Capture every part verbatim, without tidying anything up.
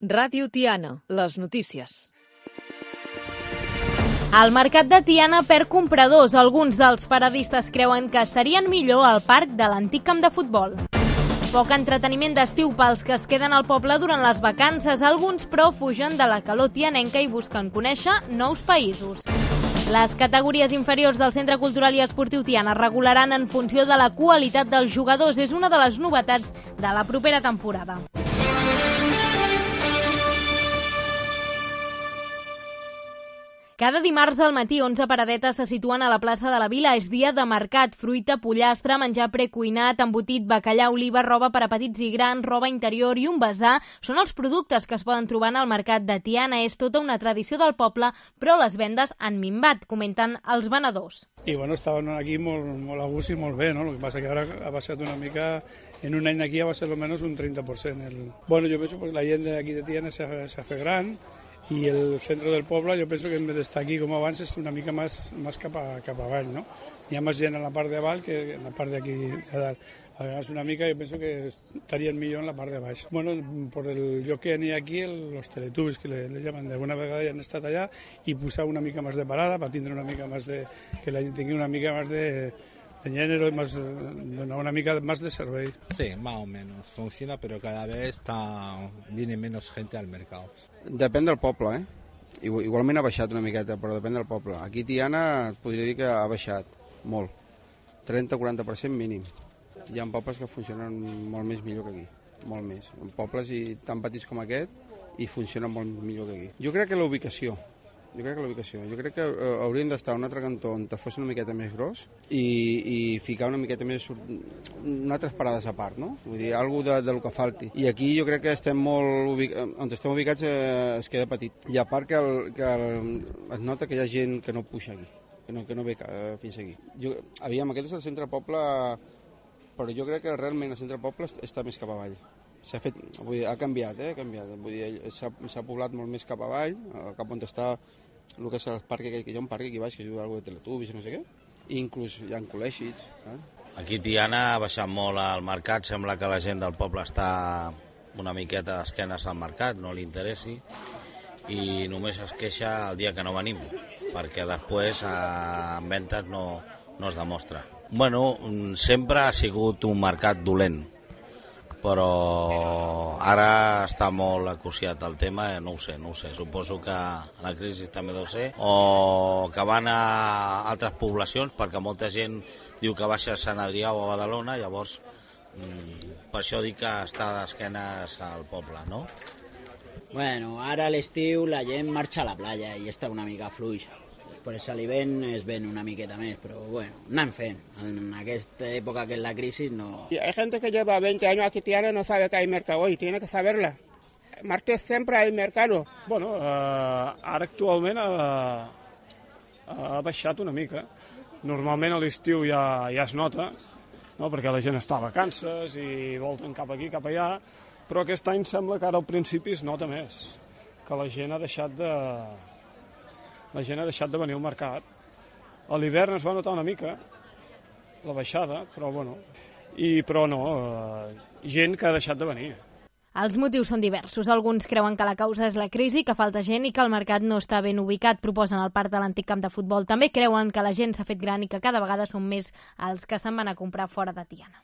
Ràdio Tiana, les notícies. El mercat de Tiana perd compradors. Alguns dels paradistes creuen que estarien millor al parc de l'antic camp de futbol. Poc entreteniment d'estiu pels que es queden al poble durant les vacances. Alguns, però, fugen de la calor tianenca i busquen conèixer nous països. Les categories inferiors del Centre Cultural i Esportiu Tiana regularan en funció de la qualitat dels jugadors. És una de les novetats de la propera temporada. Cada dimarts al matí, onze paradetes se situen a la plaça de la Vila. És dia de mercat, fruita, pollastre, menjar precuinat, embotit, bacallà, oliva, roba per a petits i grans, roba interior i un basar. Són els productes que es poden trobar en el mercat de Tiana. És tota una tradició del poble, però les vendes han minvat, comenten els venedors. I bueno, estaven aquí molt, molt a gust i molt bé, no? El que passa que ara ha baixat una mica, en un any d'aquí ha baixat almenys un trenta per cent. El... Bueno, jo penso que la gent d'aquí de Tiana s'ha fet gran, i el centre del poble, jo penso que en vez d'estar aquí com abans és una mica més, més cap, a, cap avall, no? Hi ha més gent en la part de avall que en la part d'aquí de dalt. A vegades una mica jo penso que estarien millor en la part de baix. Bueno, per el lloc que n'hi ha aquí, els teletubbies, que le, le llaman, d'alguna vegada ja han estat allà, i posar una mica més de parada per tindre una mica més de... que la gent tingui una mica més de... de género y más, una mica más de servei. Sí, más o menos. Funciona, pero cada vez está, viene menos gente al mercado. Depèn del poble, eh? Igualment ha baixat una miqueta, però depèn del poble. Aquí Tiana et podria dir que ha baixat molt. trenta a quaranta per cent mínim. Hi ha pobles que funcionen molt més millor que aquí. Molt més. En pobles i tan petits com aquest i funcionen molt millor que aquí. Jo crec que la ubicació. Jo crec que la ubicació. Jo crec que hauríem d'estar a un altre cantó on fos una miqueta més gros i, i ficar una miqueta més... unes altres parades a part, no? Vull dir, alguna de, del que falti. I aquí jo crec que estem molt ubic... on estem ubicats eh, es queda petit. I a part que, el, que el, es nota que hi ha gent que no puja aquí, que no, que no ve eh, fins aquí. Jo, aviam, aquest és el centre poble, però jo crec que realment el centre poble està més cap avall. S'ha fet, vull dir, ha canviat, eh? Ha canviat. Vull dir, s'ha poblat molt més cap avall, cap on està el que és el parc, que hi ha un parc aquí baix que juga alguna de teletubbies i no sé què, i inclús hi ha col·legis. Eh? Aquí Tiana ha baixat molt al mercat, sembla que la gent del poble està una miqueta d'esquenes al mercat, no li interessi, i només es queixa el dia que no venim, perquè després en ventes no, no es demostra. Bueno, sempre ha sigut un mercat dolent, però ara està molt acuciat el tema, no ho sé, no ho sé. Suposo que la crisi també deu ser, o que van a altres poblacions, perquè molta gent diu que baixa a Sant Adrià o a Badalona, llavors per això dic que està d'esquenes al poble, no? Bueno, ara a l'estiu la gent marxa a la playa i està una mica fluix. Per això l'hivern es ven una miqueta més, però bueno, anem fent. En aquesta època que és la crisi no... Hay gente que lleva veinte años aquí Tiana y no sabe que hay mercado hoy, tiene que saberla. Martes siempre hay mercado. Bueno, eh, ara actualment ha, ha baixat una mica. Normalment a l'estiu ja, ja es nota, no? Perquè la gent està a vacances i volten cap aquí, cap allà, però aquest any sembla que ara al principi es nota més, que la gent ha deixat de... la gent ha deixat de venir al mercat. A l'hivern es va notar una mica la baixada, però bueno, i però no, eh, gent que ha deixat de venir. Els motius són diversos. Alguns creuen que la causa és la crisi, que falta gent i que el mercat no està ben ubicat. Proposen el parc de l'antic camp de futbol. També creuen que la gent s'ha fet gran i que cada vegada són més els que se'n van a comprar fora de Tiana.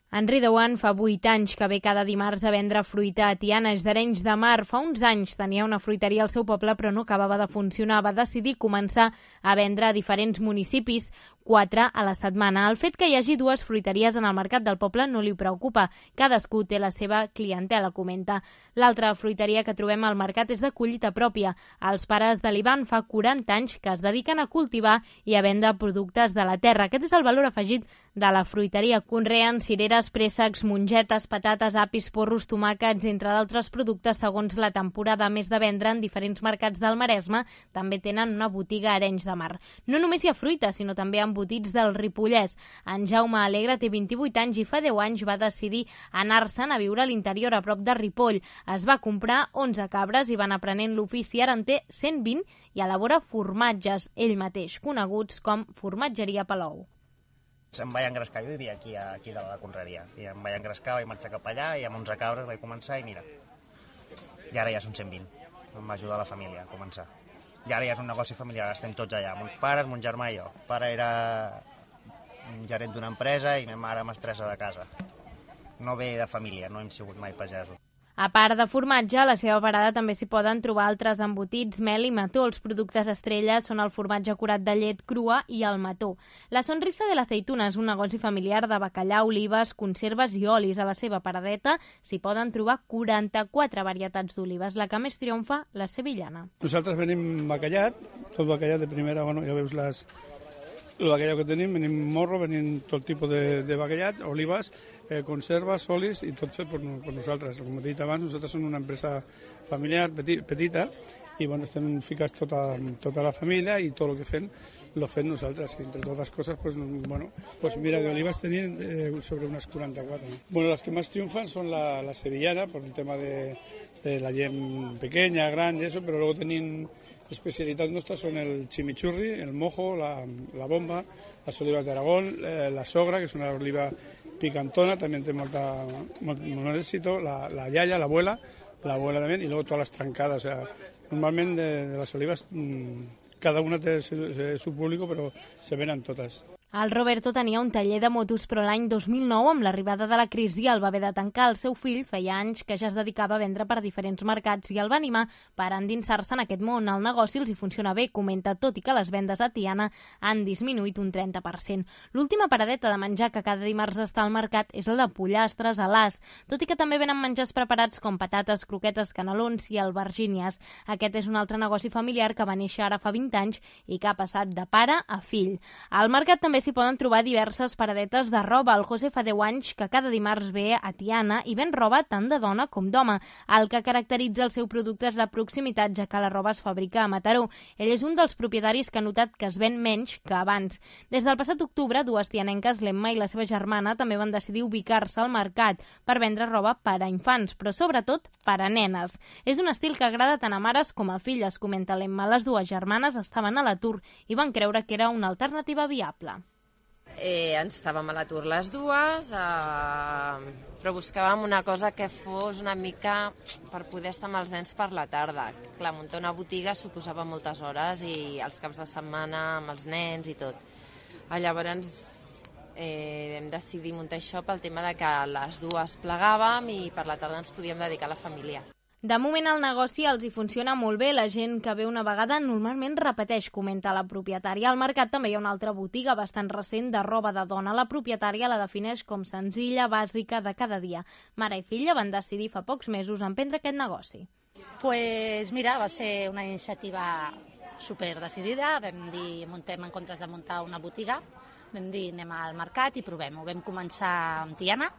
Henri Deuant fa vuit anys que ve cada dimarts a vendre fruita a Tiana, és d'Arenys de Mar. Fa uns anys tenia una fruiteria al seu poble però no acabava de funcionar. Va decidir començar a vendre a diferents municipis, quatre a la setmana. El fet que hi hagi dues fruiteries en el mercat del poble no li preocupa. Cadascú té la seva clientela, comenta. L'altra fruiteria que trobem al mercat és de collita pròpia. Els pares de l'Ivan fa quaranta anys que es dediquen a cultivar i a vendre productes de la terra. Aquest és el valor afegit de la fruiteria. Conreen cireres, préssecs, mongetes, patates, apis, porros, tomàquets, entre d'altres productes segons la temporada. A més de vendre en diferents mercats del Maresme, també tenen una botiga a Arenys de Mar. No només hi ha fruita, sinó també embotits del Ripollès. En Jaume Alegre té vint-i-vuit anys i fa deu anys va decidir anar-se'n a viure a l'interior, a prop de Ripoll. Es va comprar onze cabres i van aprenent l'ofici. Ara en té cent vint i elabora formatges, ell mateix, coneguts com Formatgeria Palou. Em vaig engrescar, jo vivia aquí, aquí de la conreria, i em vaig engrescar, vaig marxar cap allà, i amb onze cabres vaig començar, i mira, i ara ja són cent vint, em va ajudar la família a començar. I ara ja és un negoci familiar, estem tots allà, mons pares, mon germà i jo. El pare era un gerent d'una empresa i ma mare mestressa de casa. No ve de família, no hem sigut mai pagesos. A part de formatge, a la seva parada també s'hi poden trobar altres embotits, mel i mató. Els productes estrella són el formatge curat de llet crua i el mató. La Sonrisa de l'Aceituna és un negoci familiar de bacallà, olives, conserves i olis. A la seva paradeta s'hi poden trobar quaranta-quatre varietats d'olives. La que més triomfa, la sevillana. Nosaltres venim bacallat, tot bacallat de primera, bueno, ja veus les... el bacallà que tenim, venim morro, venim tot tipus de, de bacallat, olives, eh, conserves, olis i tot fet per, per nosaltres. Com he dit abans, nosaltres som una empresa familiar petit, petita i bueno, estem ficats tota, tota la família i tot el que fem lo fem nosaltres. I entre totes les coses, pues, bueno, pues mira, de olives tenim eh, sobre unes quaranta-quatre. Bueno, les que més triomfan són la, la sevillana, per el tema de, de la gent pequeña, gran i eso, però luego tenim especialitats nostres són el chimichurri, el mojo, la, la bomba, les olives d'Aragón, eh, la sogra, que és una oliva picantona, també té molta, molt, molt èxit, la, la iaia, l'abuela, l'abuela també, i luego totes les trencades. O sea, normalment de, de les olives, mmm, cada una té su, su público, però se venen totes. El Roberto tenia un taller de motos, però l'any dos mil nou, amb l'arribada de la crisi, el va haver de tancar. El seu fill feia anys que ja es dedicava a vendre per diferents mercats i el va animar per endinsar-se en aquest món. El negoci els hi funciona bé, comenta, tot i que les vendes a Tiana han disminuït un trenta per cent. L'última paradeta de menjar que cada dimarts està al mercat és la de pollastres a l'as, tot i que també venen menjars preparats com patates, croquetes, canelons i albergínies. Aquest és un altre negoci familiar que va néixer ara fa vint anys i que ha passat de pare a fill. Al mercat també s'hi poden trobar diverses paradetes de roba. El José fa deu anys que cada dimarts ve a Tiana i ven roba tant de dona com d'home. El que caracteritza el seu producte és la proximitat, ja que la roba es fabrica a Mataró. Ell és un dels propietaris que ha notat que es ven menys que abans. Des del passat octubre, dues tianenques, l'Emma i la seva germana, també van decidir ubicar-se al mercat per vendre roba per a infants, però sobretot per a nenes. És un estil que agrada tant a mares com a filles, comenta l'Emma. Les dues germanes estaven a l'atur i van creure que era una alternativa viable. Eh, ens estàvem a l'atur les dues, eh, però buscàvem una cosa que fos una mica per poder estar amb els nens per la tarda. Clar, muntar una botiga suposava moltes hores i els caps de setmana amb els nens i tot. Eh, llavors eh, vam decidir muntar això pel tema de que les dues plegàvem i per la tarda ens podíem dedicar a la família. De moment el negoci els hi funciona molt bé. La gent que ve una vegada normalment repeteix, comenta la propietària. Al mercat també hi ha una altra botiga bastant recent de roba de dona. La propietària la defineix com senzilla, bàsica, de cada dia. Mare i filla van decidir fa pocs mesos emprendre aquest negoci. Pues mira, va ser una iniciativa super decidida. Vam dir, muntem en comptes de muntar una botiga, vam dir anem al mercat i provem-ho. Vam començar amb Tiana,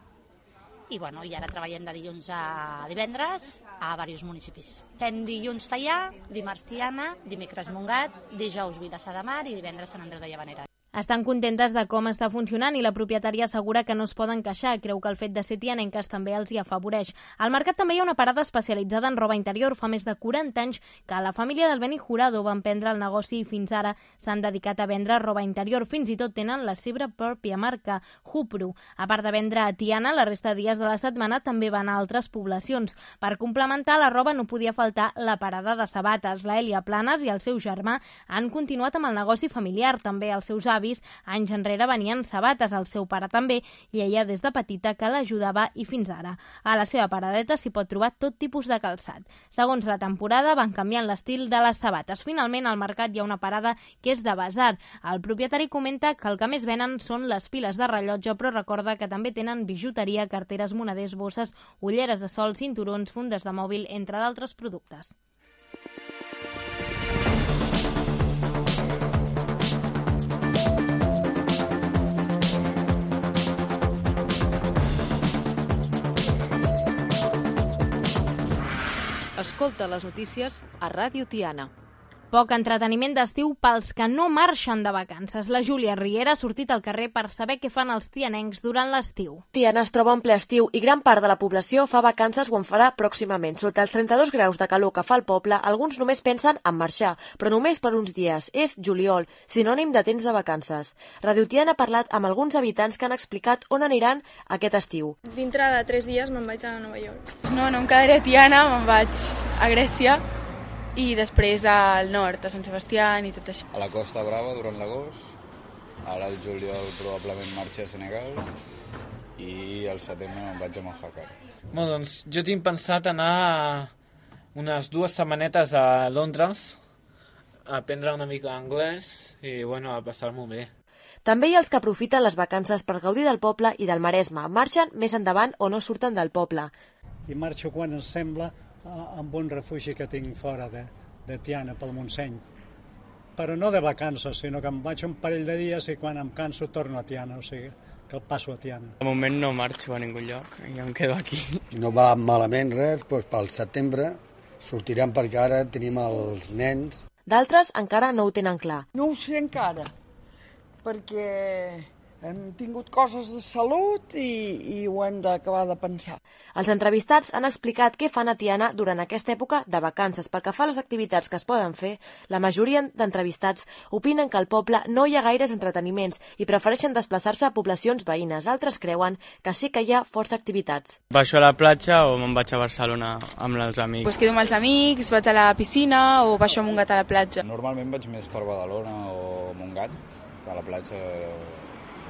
i, bueno, i ara treballem de dilluns a divendres a diversos municipis. Fem dilluns Teià, dimarts Tiana, dimecres Montgat, dijous Vilassar de Mar i divendres Sant Andreu de Llavaneres. Estan contentes de com està funcionant i la propietària assegura que no es poden queixar. Creu que el fet de ser tianenques també els hi afavoreix. Al mercat també hi ha una parada especialitzada en roba interior. Fa més de quaranta anys que la família del Beni Jurado va emprendre el negoci i fins ara s'han dedicat a vendre roba interior. Fins i tot tenen la seva pròpia marca, Jupru. A part de vendre a Tiana, la resta de dies de la setmana també van a altres poblacions. Per complementar la roba no podia faltar la parada de sabates. La Elia Planes i el seu germà han continuat amb el negoci familiar. També els seus avis anys enrere venien sabates, el seu pare també, i ella des de petita que l'ajudava i fins ara. A la seva paradeta s'hi pot trobar tot tipus de calçat. Segons la temporada van canviant l'estil de les sabates. Finalment al mercat hi ha una parada que és de basar. El propietari comenta que el que més venen són les piles de rellotge, però recorda que també tenen bijuteria, carteres, moneders, bosses, ulleres de sol, cinturons, fundes de mòbil, entre d'altres productes. Escolta les notícies a Ràdio Tiana. Poc entreteniment d'estiu pels que no marxen de vacances. La Júlia Riera ha sortit al carrer per saber què fan els tianencs durant l'estiu. Tiana es troba en ple estiu i gran part de la població fa vacances o en farà pròximament. Sota els trenta-dos graus de calor que fa el poble, alguns només pensen en marxar, però només per uns dies. És juliol, sinònim de temps de vacances. Radio Tiana ha parlat amb alguns habitants que han explicat on aniran aquest estiu. Dintre de tres dies me'n vaig a Nova York. No, no em quedaré a Tiana, me'n vaig a Grècia i després al nord, a Sant Sebastià i tot això. A la Costa Brava durant l'agost, ara el juliol probablement marxo a Senegal i al setembre me'n vaig a Mojácar. Bueno, doncs jo tinc pensat anar unes dues setmanetes a Londres a aprendre una mica anglès i bueno, a passar-m'ho bé. També hi ha els que aprofiten les vacances per gaudir del poble i del Maresme. Marxen més endavant o no surten del poble. I marxo quan em sembla amb un refugi que tinc fora de, de Tiana, pel Montseny. Però no de vacances, sinó que em vaig un parell de dies i quan em canso torno a Tiana, o sigui, que el passo a Tiana. De moment no marxo a ningú lloc, jo em quedo aquí. No va malament res, doncs pel setembre sortirem perquè ara tenim els nens. D'altres encara no ho tenen clar. No ho sé encara, perquè hem tingut coses de salut i, i ho hem d'acabar de pensar. Els entrevistats han explicat què fan a Tiana durant aquesta època de vacances. Pel que fa a les activitats que es poden fer, la majoria d'entrevistats opinen que al poble no hi ha gaires entreteniments i prefereixen desplaçar-se a poblacions veïnes. Altres creuen que sí que hi ha força activitats. Baixo a la platja o me'n vaig a Barcelona amb els amics. Pues quedo amb els amics, vaig a la piscina o baixo a Montgat a la platja. Normalment vaig més per Badalona o Montgat, a la platja.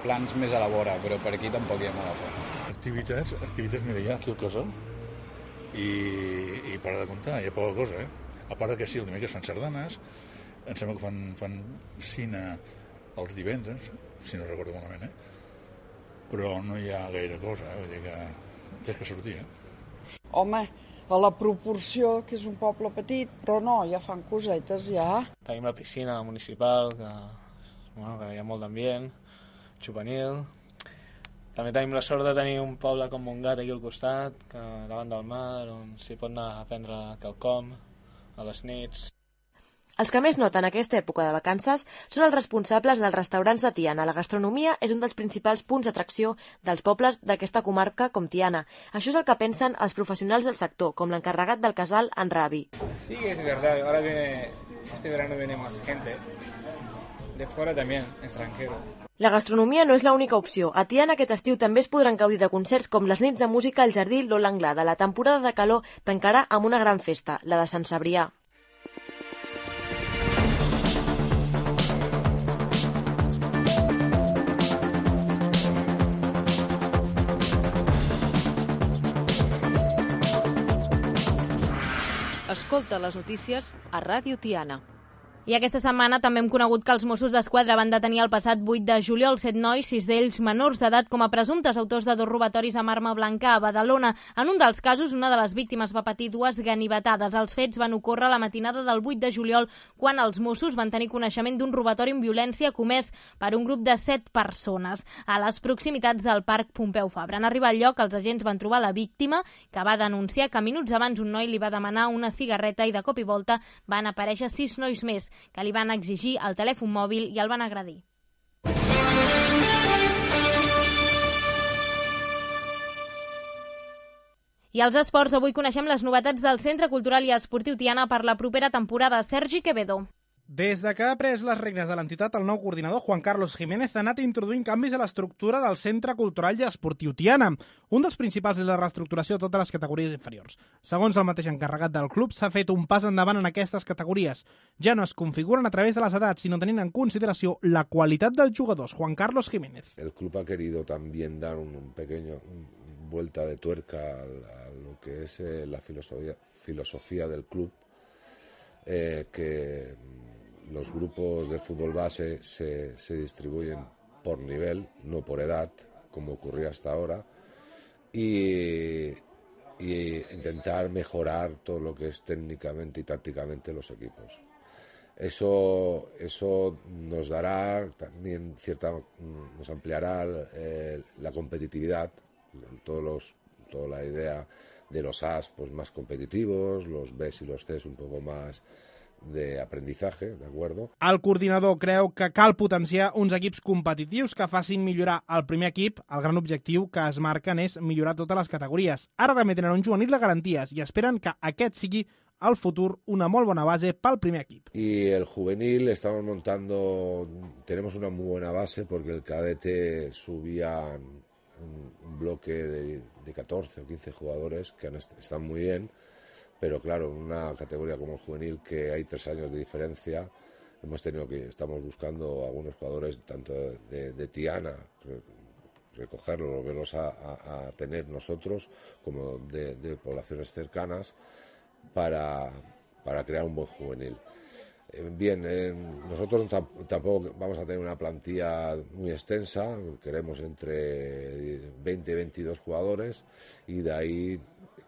Plans més a la vora, però per aquí tampoc hi ha molt a fer. Activitats, activitats, mira, hi ha aquí al casal i, i para de comptar, hi ha poca cosa, eh? A part que sí, el dimecres fan sardanes, em sembla que fan, fan cine els divendres, si no recordo malament, eh? Però no hi ha gaire cosa, eh? Vull dir que tens que sortir, eh? Home, a la proporció que és un poble petit, però no, ja fan cosetes, ja. Tenim la piscina municipal, que, bueno, que hi ha molt d'ambient, juvenil. També tenim la sort de tenir un poble com Montgat aquí al costat, que davant del mar, on s'hi pot anar a prendre quelcom a les nits. Els que més noten aquesta època de vacances són els responsables dels restaurants de Tiana. La gastronomia és un dels principals punts d'atracció dels pobles d'aquesta comarca com Tiana. Això és el que pensen els professionals del sector, com l'encarregat del casal, en Ravi. Sí, es verdad. Ahora viene, este verano viene más gente. De fuera también, extranjero. La gastronomia no és l'única opció. A Tiana aquest estiu també es podran gaudir de concerts com les nits de música al Jardí Lola Anglada. La temporada de calor tancarà amb una gran festa, la de Sant Cebrià. Escolta les notícies a Ràdio Tiana. I aquesta setmana també hem conegut que els Mossos d'Esquadra van detenir el passat vuit de juliol set nois, sis d'ells menors d'edat, com a presumptes autors de dos robatoris amb arma blanca a Badalona. En un dels casos, una de les víctimes va patir dues ganivetades. Els fets van ocórrer la matinada del vuit de juliol, quan els Mossos van tenir coneixement d'un robatori amb violència comès per un grup de set persones a les proximitats del Parc Pompeu Fabra. En arribar al lloc, els agents van trobar la víctima, que va denunciar que minuts abans un noi li va demanar una cigarreta i de cop i volta van aparèixer sis nois més que li van exigir el telèfon mòbil i el van agredir. I als esports, avui coneixem les novetats del Centre Cultural i Esportiu Tiana per la propera temporada. Sergi Quevedo. Des de que ha pres les regnes de l'entitat, el nou coordinador, Juan Carlos Jiménez, ha anat introduint canvis a l'estructura del Centre Cultural i Esportiu Tiana. Un dels principals és la reestructuració de totes les categories inferiors. Segons el mateix encarregat del club, s'ha fet un pas endavant en aquestes categories. Ja no es configuren a través de les edats, sinó tenint en consideració la qualitat dels jugadors. Juan Carlos Jiménez. El club ha querido también dar un pequeño un vuelta de tuerca a, a lo que es eh, la filosofía, filosofía del club, eh, que los grupos de fútbol base se, se distribuyen por nivel, no por edad, como ocurría hasta ahora, y, y intentar mejorar todo lo que es técnicamente y tácticamente los equipos. Eso, eso nos dará también cierta, nos ampliará eh, la competitividad, todos los, toda la idea de los As pues más competitivos, los Bs y los Cs un poco más de aprendizaje, ¿de acuerdo? El coordinador creu que cal potenciar uns equips competitius que facin millorar el primer equip. El gran objectiu que es marquen és millorar totes les categories. Ara també tenen un juvenil de garanties i esperen que aquest sigui al futur una molt bona base pel primer equip. Y el juvenil estamos montando, tenemos una muy buena base porque el cadete subía un, un bloque de, de catorce o quince jugadores que han, están muy bien. Pero claro, en una categoría como el juvenil, que hay tres años de diferencia, hemos tenido que, estamos buscando algunos jugadores tanto de, de Tiana, recogerlos, volverlos a, a, a tener nosotros, como de, de poblaciones cercanas, para, para crear un buen juvenil. Eh, bien, eh, nosotros tampoco vamos a tener una plantilla muy extensa, queremos entre veinte y veintidós jugadores, y de ahí,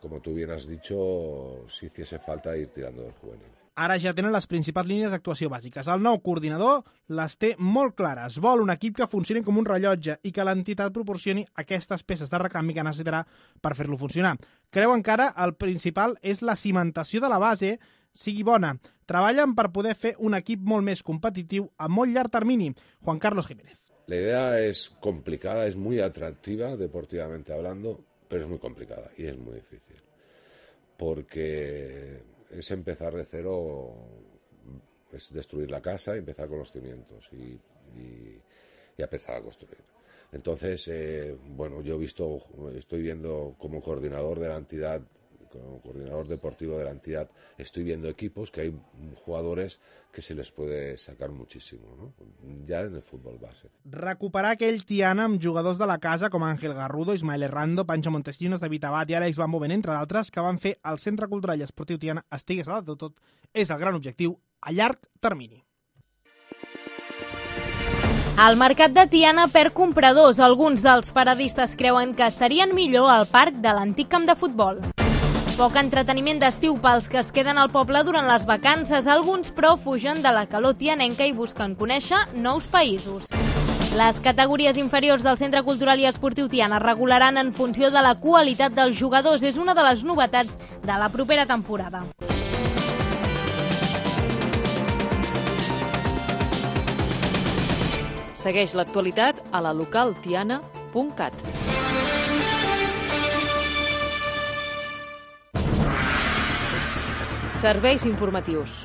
como tú bien has dicho, si hiciese falta ir tirando del juvenil. Ara ja tenen les principals línies d'actuació bàsiques. El nou coordinador les té molt clares. Vol un equip que funcioni com un rellotge i que l'entitat proporcioni aquestes peces de recanvi que necessitarà per fer-lo funcionar. Creu encara el principal és la cimentació de la base sigui bona. Treballen per poder fer un equip molt més competitiu a molt llarg termini. Juan Carlos Jiménez. La idea es complicada, es muy atractiva deportivamente hablando, pero es muy complicada y es muy difícil, porque es empezar de cero, es destruir la casa y empezar con los cimientos y, y, y empezar a construir. Entonces, eh, bueno, yo he visto, estoy viendo como coordinador de la entidad, como coordinador deportivo de la entidad, estoy viendo equipos que hay jugadores que se les puede sacar muchísimo, ¿no? Ya en el fútbol base. Recuperar aquell Tiana amb jugadors de la casa com Ángel Garrudo, Ismael Errando, Pancho Montesinos, David Abad i Àlex Van Boven, entre d'altres, que van fer el Centre Cultural i Esportiu Tiana estigués a dalt de tot, és el gran objectiu a llarg termini. El mercat de Tiana perd compradors. Alguns dels paradistes creuen que estarien millor al parc de l'antic camp de futbol. Poc entreteniment d'estiu pels que es queden al poble durant les vacances. Alguns, però, fugen de la calor tianenca i busquen conèixer nous països. Les categories inferiors del Centre Cultural i Esportiu Tiana regularan en funció de la qualitat dels jugadors. És una de les novetats de la propera temporada. Segueix l'actualitat a la local tiana punt cat. Serveis informatius.